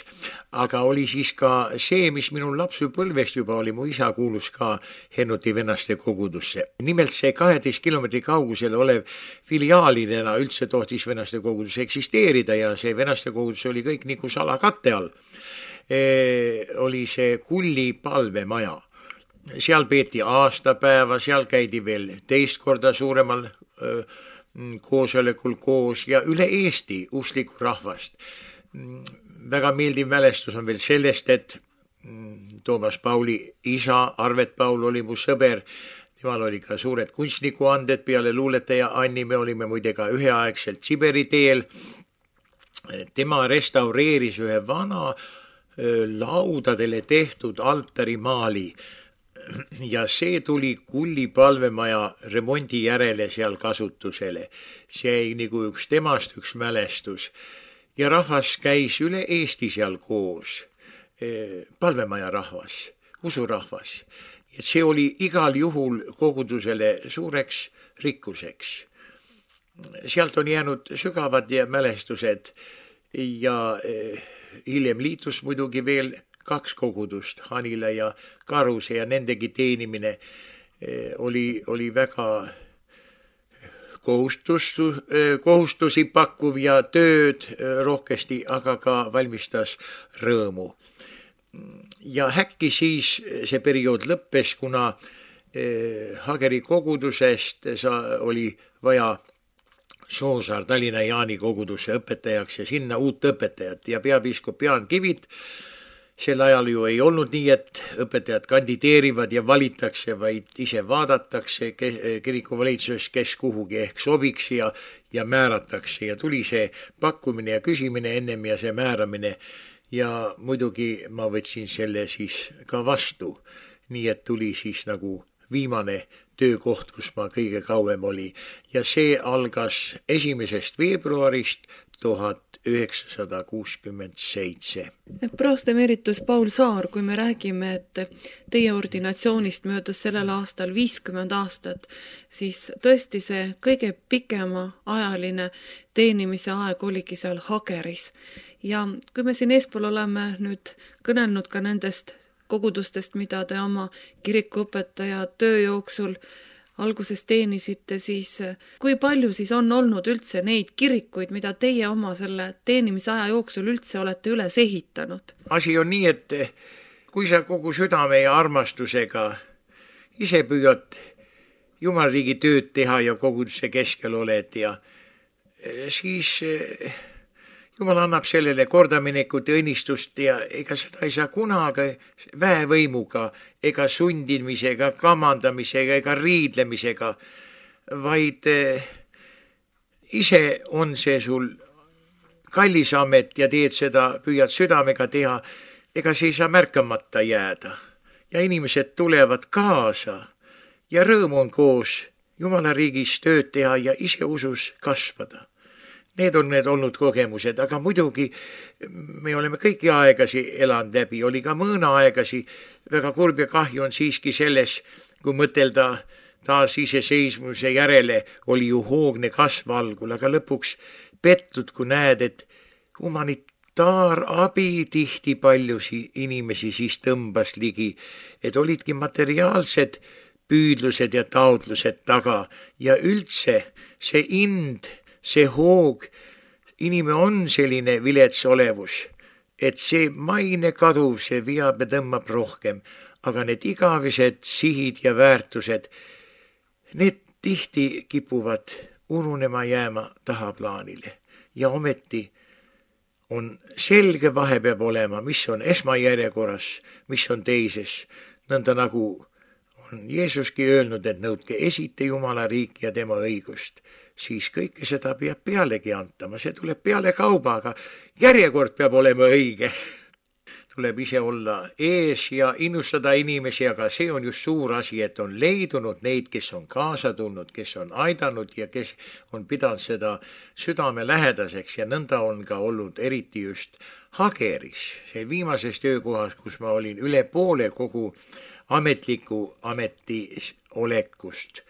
aga oli siis ka see, mis minul lapsupõlvest juba oli, mu isa kuulus ka Hennuti venaste kogudusse. Nimelt see kaheteist kilomeetri kaugusel olev filiaalidena üldse tohtis venaste kogudus eksisteerida ja see venaste kogudus oli kõik nagu salakatte all. E, oli see Kulli palvemaja. Seal peeti aastapäeva, seal käidi veel teist korda suuremal öö, koosolekul koos ja üle Eesti usklikku rahvast. Väga meeldiv mälestus on veel sellest, et Toomas Pauli isa, Arvet Paul oli mu sõber, temal oli ka suured kunstnikuanded peale luuletaja Anni, me olime muide ka üheaegselt Siberi teel. Tema restaureeris ühe vana laudadele tehtud altarimaali ja see tuli Kulli palvemaja remondi järele seal kasutusele. See ei nagu üks temast üks mälestus ja rahvas käis üle Eesti seal koos, palvemaja rahvas, usurahvas. Ja see oli igal juhul kogudusele suureks rikkuseks. Sealt on jäänud sügavad ja mälestused ja hiljem liitus muidugi veel kaks kogudust, Hanila ja Karuse ja nendegi teenimine oli, oli väga kohustus, kohustusi pakkuv ja tööd rohkesti, aga ka valmistas rõõmu. Ja häkki siis see periood lõppes, kuna Hageri kogudusest oli vaja Soosaar Tallinna Jaani kogudusse õpetajaks ja sinna uut õpetajat ja peapiiskop Jaan Kivit. Sel ajal ju ei olnud nii, et õpetajad kandideerivad ja valittakse, vaid ise vaadatakse kirikuvalitsuses, kes kuhugi ehk sobiks ja, ja määratakse ja tuli see pakkumine ja küsimine ennem ja see määramine ja muidugi ma võtsin selle siis ka vastu, nii et tuli siis nagu viimane töökoht, kus ma kõige kauem oli ja see algas esimesest veebruarist tuhat üheksasada kuuskümmend seitse. Praost emeritus Paul Saar, kui me räägime, et teie ordinatsioonist möödus sellel aastal viiskümmend aastat, siis tõesti see kõige pikema ajaline teenimise aeg oligi seal Hageris. Ja kui me siin eespool oleme nüüd kõnelnud ka nendest kogudustest, mida te oma kirikuõpetaja töö jooksul alguses teenisite, siis kui palju siis on olnud üldse neid kirikuid, mida teie oma selle teenimise aja jooksul üldse olete üles ehitanud? Asi on nii, et kui sa kogu südame ja armastusega ise püüad Jumalariigi tööd teha ja koguduse keskel oled ja siis Jumal annab sellele kordaminekut ja õnnistust ja ega seda ei saa kunagi väevõimuga ega sundimisega, kamandamisega ega riidlemisega, vaid ise on see sul kallis amet ja teed seda, püüad südamega teha, ega see ei saa märkamata jääda. Ja inimesed tulevad kaasa ja rõõm on koos Jumalariigis tööd teha ja ise usus kasvada. Need on need olnud kogemused, aga muidugi me oleme kõiki aegasi elanud läbi, oli ka mõõna aegasi, väga kurb ja kahju on siiski selles, kui mõtelda taas iseseisvuse järele, oli ju hoogne kasv algul, aga lõpuks pettud, kui näed, et humanitaarabi tihti paljusi inimesi siis tõmbas ligi, et olidki materiaalsed püüdlused ja taotlused taga ja üldse see ind, see hoog, inimene on selline vilets olevus, et see maine kaduv, see viab ja tõmbab rohkem, aga need igavised sihid ja väärtused, need tihti kipuvad ununema jääma tahaplaanile ja ometi on selge vahe peab olema, mis on esmajärjekorras, mis on teises, nõnda nagu on Jeesuski öelnud, et nõudke esite Jumala riiki ja tema õigust. Siis kõike seda peab pealegi antama, see tuleb peale kauba, aga järjekord peab olema õige. Tuleb ise olla ees ja innustada inimesi, aga see on just suur asi, et on leidunud neid, kes on kaasa tulnud, kes on aidanud ja kes on pidanud seda südame lähedaseks ja nõnda on ka olnud eriti just Hageris, see viimases töökohas, kus ma olin üle poole kogu ametliku ametiolekust.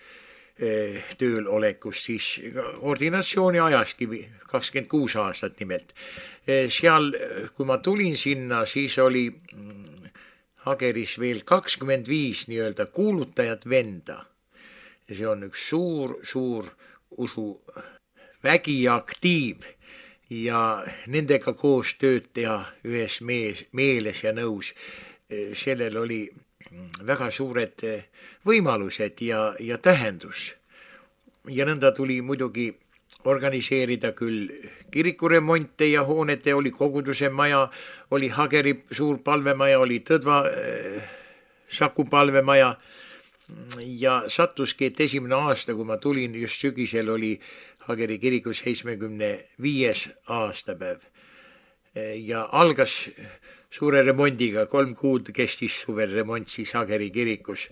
tööl olekust, siis ordinatsiooni ajaski kakskümmend kuus aastat nimelt. Seal, kui ma tulin sinna, siis oli Hageris veel kakskümmend viis nii-öelda kuulutajat venda. Ja see on üks suur, suur usuvägi ja aktiiv ja nendega koos tööd teha ühes mees, meeles ja nõus. Sellel oli väga suured võimalused ja, ja tähendus. Ja nõnda tuli muidugi organiseerida küll kirikuremonte ja hoonete, oli koguduse maja, oli Hageri suur palvemaja, oli Tõdva äh, Saku palvemaja ja sattuski, et esimene aasta, kui ma tulin, just sügisel oli Hageri kirikus seitsmekümne viies aastapäev ja algas suure remondiga, kolm kuud kestis suvel remont siis Hageri kirikus.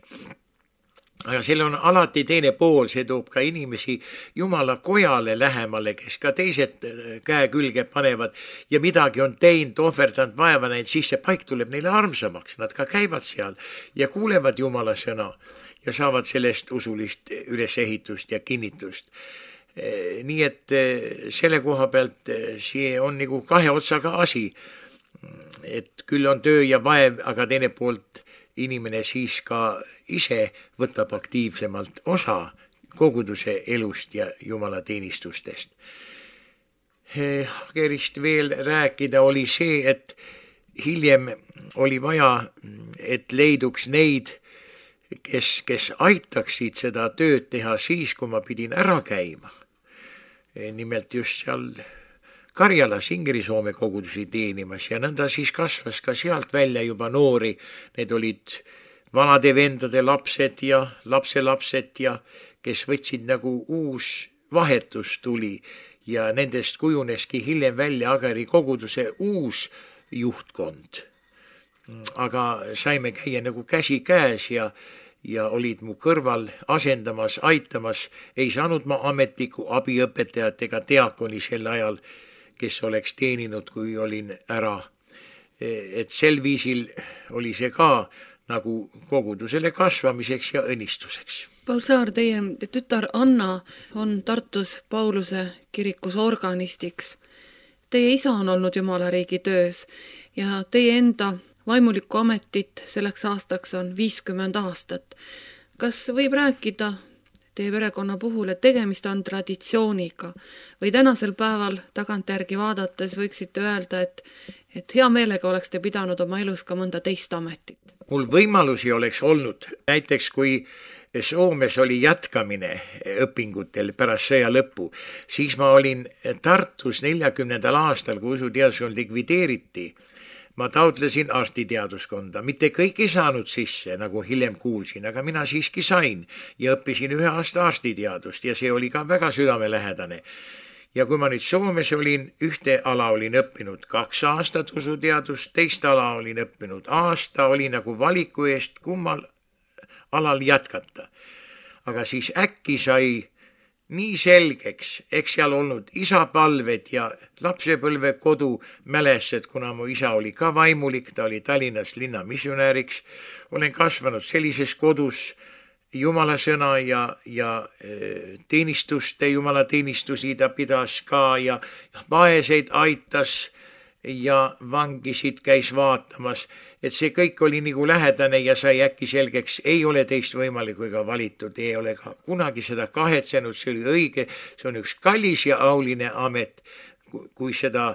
Aga seal on alati teine pool, see toob ka inimesi Jumala kojale lähemale, kes ka teised käe külge panevad ja midagi on teinud, ohverdanud, vaeva näinud, siis see paik tuleb neile armsamaks, nad ka käivad seal ja kuulevad Jumala sõna ja saavad sellest usulist ülesehitust ja kinnitust. Nii et selle koha pealt see on nagu kahe otsaga asi, et küll on töö ja vaev, aga teine poolt inimene siis ka ise võtab aktiivsemalt osa koguduse elust ja Jumala teenistustest. Hagerist veel rääkida oli see, et hiljem oli vaja, et leiduks neid, kes, kes aitaksid seda tööd teha siis, kui ma pidin ära käima. Nimelt just seal Karjalas Ingeri-Soome kogudusi teenimas ja nõnda siis kasvas ka sealt välja juba noori. Need olid vanade vendade lapsed ja lapselapsed ja kes võtsid nagu uus vahetus tuli ja nendest kujuneski hiljem välja Hageri koguduse uus juhtkond. Aga saime käia nagu käsi käes ja, ja olid mu kõrval asendamas, aitamas, ei saanud ma ametlikku abiõpetajat ega diakoni sel ajal, kes oleks teeninud, kui olin ära. Et sel viisil oli see ka nagu kogudusele kasvamiseks ja õnnistuseks. Paul Saar, teie tütar Anna on Tartus Pauluse kirikus organistiks. Teie isa on olnud Jumalariigi töös ja teie enda vaimulikku ametit selleks aastaks on viiskümmend aastat. Kas võib rääkida teie perekonna puhul, et tegemist on traditsiooniga või tänasel päeval tagantjärgi vaadates võiksite öelda, et, et hea meelega oleks te pidanud oma elus ka mõnda teist ametit? Mul võimalusi oleks olnud, näiteks kui Soomes oli jätkamine õpingutel pärast sõja lõppu, siis ma olin Tartus neljakümnendal aastal, kui usuteaduskond likvideeriti. Ma taotlesin arstiteaduskonda, mitte kõik ei saanud sisse, nagu hiljem kuulsin, aga mina siiski sain ja õppisin ühe aasta arstiteadust ja see oli ka väga südamelähedane. Ja kui ma nüüd Soomes olin, ühte ala olin õppinud kaks aastat usuteadust, teist ala olin õppinud aasta, oli nagu valiku eest kummal alal jätkata. Aga siis äkki sai nii selgeks, eks seal olnud isapalved ja lapsepõlve kodu mälesed, kuna mu isa oli ka vaimulik, ta oli Tallinnas linna missionääriks. Olen kasvanud sellises kodus Jumala sõna ja, ja teenistuste, Jumala teenistusi ta pidas ka ja vaeseid aitas ja vangisid käis vaatamas. Et see kõik oli nagu lähedane ja sai äkki selgeks, ei ole teist võimalikku ega valitud, ei ole ka kunagi seda kahetsenud, see oli õige, see on üks kallis ja auline amet, kui seda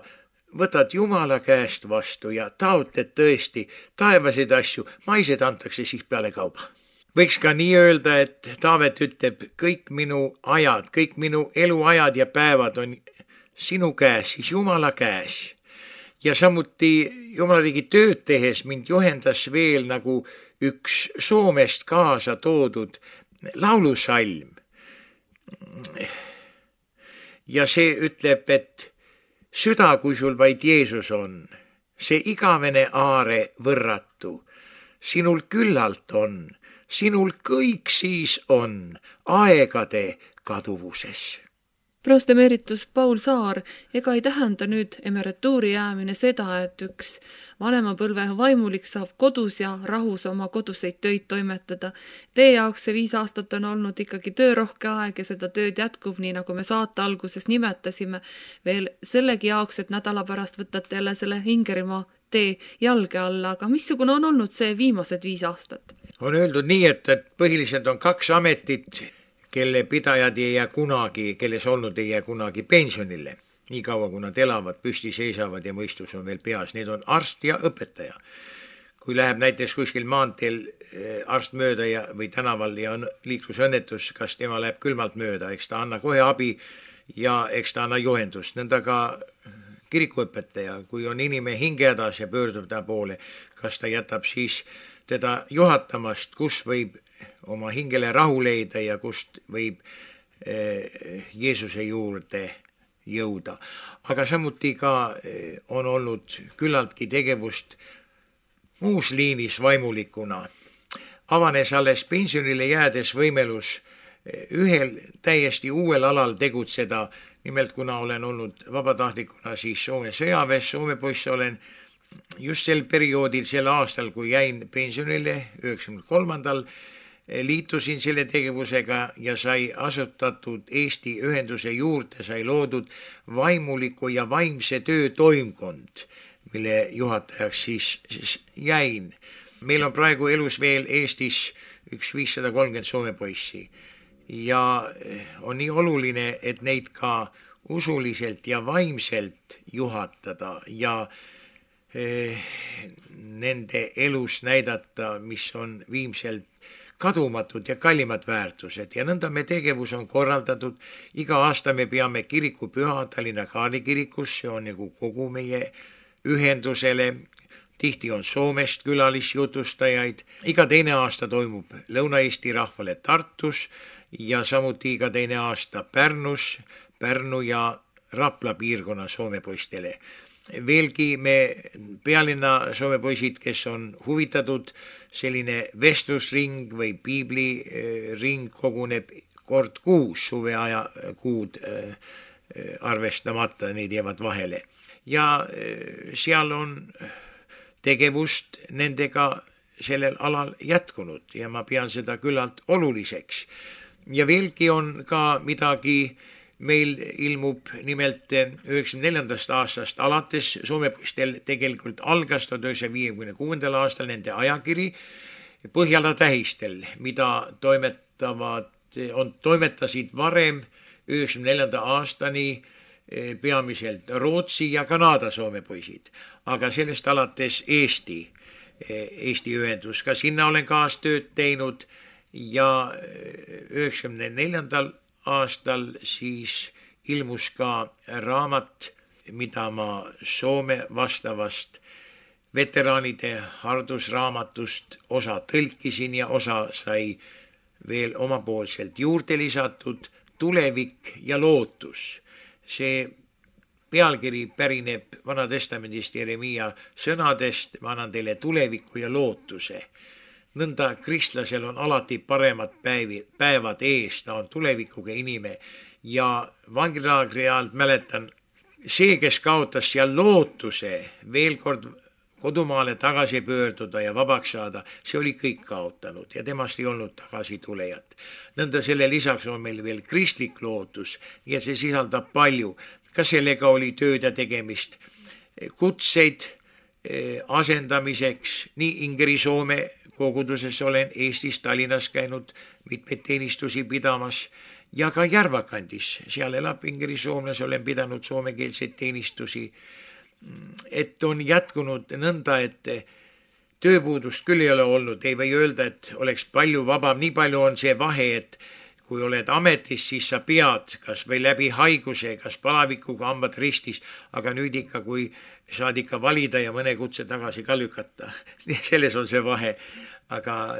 võtad Jumala käest vastu ja taotled tõesti taevaseid asju, maised antakse siis peale kauba. Võiks ka nii öelda, et Taavet ütleb, kõik minu ajad, kõik minu eluajad ja päevad on sinu käes, siis Jumala käes. Ja samuti Jumalariigi tööd tehes mind juhendas veel nagu üks Soomest kaasa toodud laulusalm. Ja see ütleb, et süda, kui sul vaid Jeesus on, see igavene aare võrratu, sinul küllalt on, sinul kõik siis on aegade kaduvuses. Prost emeritus Paul Saar, ega ei tähenda nüüd emerituuri jäämine seda, et üks vanemapõlve vaimulik saab kodus ja rahus oma koduseid töid toimetada. Teie jaoks see viis aastat on olnud ikkagi töörohke aeg ja seda tööd jätkub, nii nagu me saate alguses nimetasime, veel sellegi jaoks, et nädala pärast võtate jälle selle Ingerimaa tee jalge alla, aga missugune on olnud see viimased viis aastat? On öeldud nii, et, et põhiliselt on kaks ametit, kelle pidajad ei jää kunagi, kelles olnud ei jää kunagi pensionile. Nii kaua, kui nad elavad, püsti seisavad ja mõistus on veel peas. Need on arst ja õpetaja. Kui läheb näiteks kuskil maanteel arst mööda ja, või tänaval ja on liiklusõnnetus, kas tema läheb külmalt mööda, eks ta anna kohe abi ja eks ta anna juhendust. Nõnda ka kirikuõpetaja, kui on inimene hingehädas ja pöördub ta poole, kas ta jätab siis teda juhatamast, kus võib oma hingele rahu leida ja kust võib Jeesuse juurde jõuda. Aga samuti ka on olnud küllaltki tegevust muus liinis vaimulikuna. Avanes alles pensionile jäädes võimelus ühel täiesti uuel alal tegutseda, nimelt kuna olen olnud vabatahtlikuna siis Soome sõjaväes, Soome poiss olen just sel perioodil, sel aastal, kui jäin pensionile üheksakümne kolmandal, liitusin selle tegevusega ja sai asutatud Eesti ühenduse juurde, sai loodud vaimuliku ja vaimse töö toimkond, mille juhatajaks siis, siis jäin. Meil on praegu elus veel Eestis üks viissada kolmkümmend Soome poissi ja on nii oluline, et neid ka usuliselt ja vaimselt juhatada ja eh, nende elus näidata, mis on viimselt kadumatud ja kallimad väärtused ja nõnda me tegevus on korraldatud. Iga aasta me peame kirikupüha Tallinna Kaarli kirikus, see on nagu kogu meie ühendusele. Tihti on Soomest külalisjutustajaid. Iga teine aasta toimub Lõuna-Eesti rahvale Tartus ja samuti iga teine aasta Pärnus, Pärnu ja Rapla piirkonna Soome poistele. veelgi me pealinna Soome poisid, kes on huvitatud, selline vestlusring või piibliring koguneb kord kuus, suveaja kuud arvestamata, neid jäävad vahele. Ja seal on tegevust nendega sellel alal jätkunud ja ma pean seda küllalt oluliseks. Ja veelgi on ka midagi, meil ilmub nimelt üheksakümne neljandast aastast alates Soome poistel tegelikult algas tuhat üheksasaja viiekümne kuuendal aastal nende ajakiri Põhjala tähistel, mida toimetavad, on, toimetasid varem üheksakümne neljanda aastani peamiselt Rootsi ja Kanada Soome poisid, aga sellest alates Eesti, Eesti ühendus, ka sinna olen kaastööd teinud ja üheksakümne neljandal aastal siis ilmus ka raamat, mida ma Soome vastavast veteraanide hardusraamatust osa tõlkisin ja osa sai veel omapoolselt juurde lisatud, Tulevik ja lootus. See pealkiri pärineb Vanatestamendist Jeremiia sõnadest, ma annan teile tuleviku ja lootuse. Nõnda kristlasel on alati paremad päevi, päevad ees, ta on tulevikuga inime ja vangilaagri ajalt mäletan, see, kes kaotas seal lootuse veel kord kodumaale tagasi pöörduda ja vabaks saada, see oli kõik kaotanud ja temast ei olnud tagasi tulejat. Nõnda selle lisaks on meil veel kristlik lootus ja see sisaldab palju, ka sellega oli tööd ja tegemist, kutseid asendamiseks, nii Ingeri Soome koguduses olen Eestis Tallinnas käinud mitmeid teenistusi pidamas ja ka Järvakandis, seal elab Ingeri soomlas, olen pidanud soomekeelseid teenistusi, et on jätkunud nõnda, et tööpuudust küll ei ole olnud, ei või öelda, et oleks palju vabam, nii palju on see vahe, et kui oled ametis, siis sa pead kas või läbi haiguse, kas palavikuga hambad ristis, aga nüüd ikka, kui saad ikka valida ja mõne kutse tagasi ka lükata. Selles on see vahe. Aga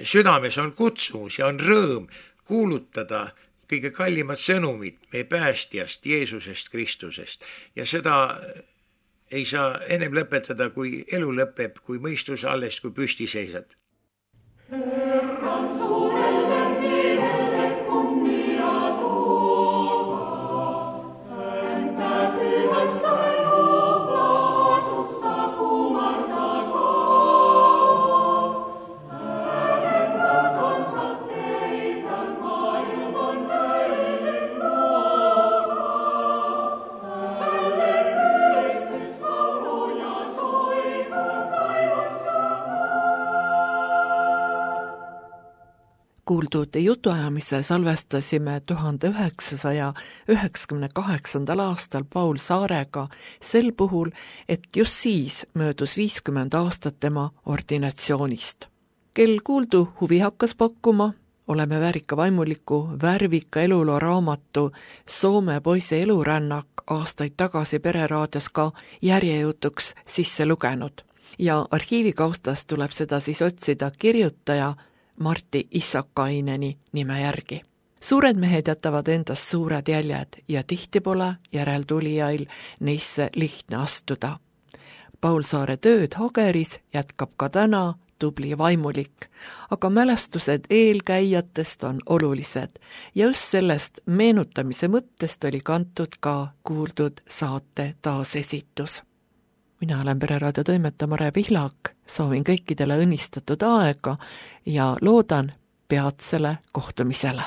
südames on kutsumus ja on rõõm kuulutada kõige kallimat sõnumit meie päästjast, Jeesusest, Kristusest. Ja seda ei saa ennem lõpetada, kui elu lõpeb, kui mõistus alles, kui püsti seisad. Kuuldud jutuajamise salvestasime tuhande üheksasaja üheksakümne kaheksandal aastal Paul Saarega sel puhul, et just siis möödus viiskümmend aastat tema ordinatsioonist. Kel kuuldu huvi hakkas pakkuma, oleme väärika vaimuliku värvika eluloo raamatu Soome poisi elurännak aastaid tagasi Pereraadios ka järjejutuks sisse lugenud ja arhiivikaustast tuleb seda siis otsida kirjutaja Martti Issakaineni nime järgi. Suured mehed jätavad endast suured jäljed ja tihti pole järeltulijail neisse lihtne astuda. Paul Saare tööd Hageris jätkab ka täna tubli vaimulik, aga mälestused eelkäijatest on olulised ja just sellest meenutamise mõttest oli kantud ka kuuldud saate taasesitus. Mina olen Pereraadio toimetaja Mare Pihlak, soovin kõikidele õnnistatud aega ja loodan peatsele kohtumisele.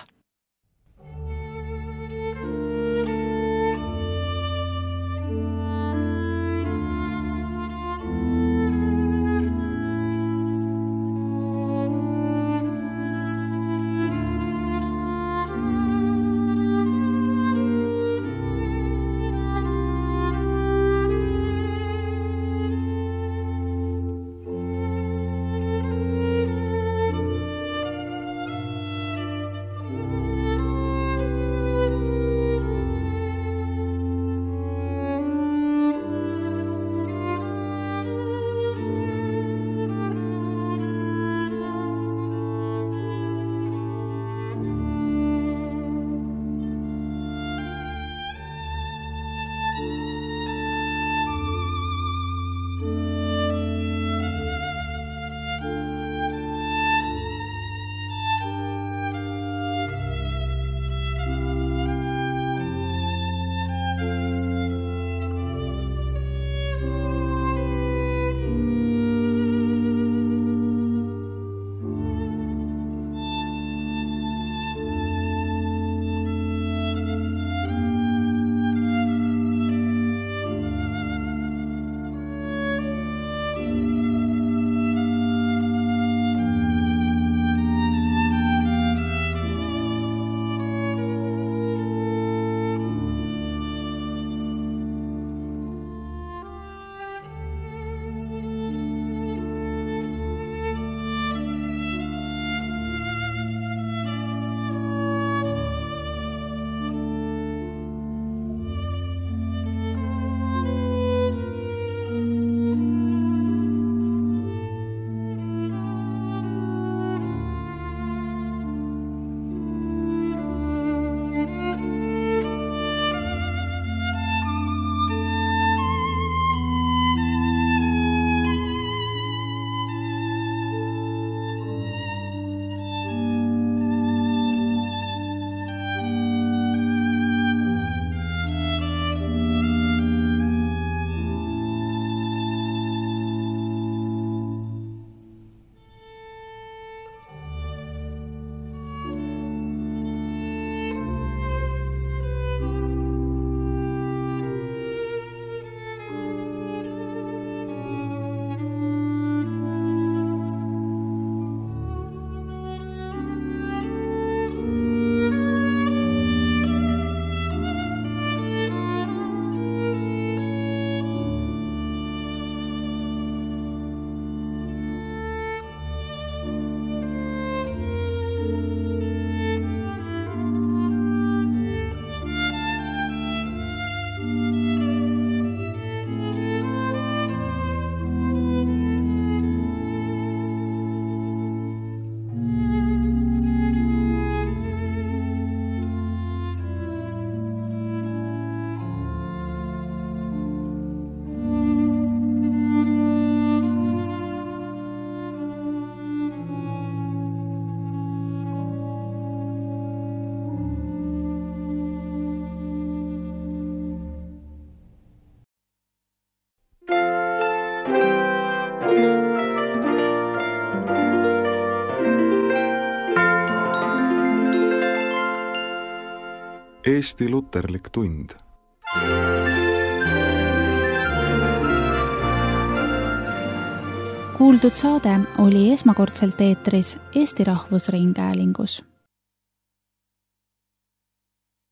Eesti luterlik tund. Kuuldud saade oli esmakordselt eetris Eesti Rahvusringhäälingus.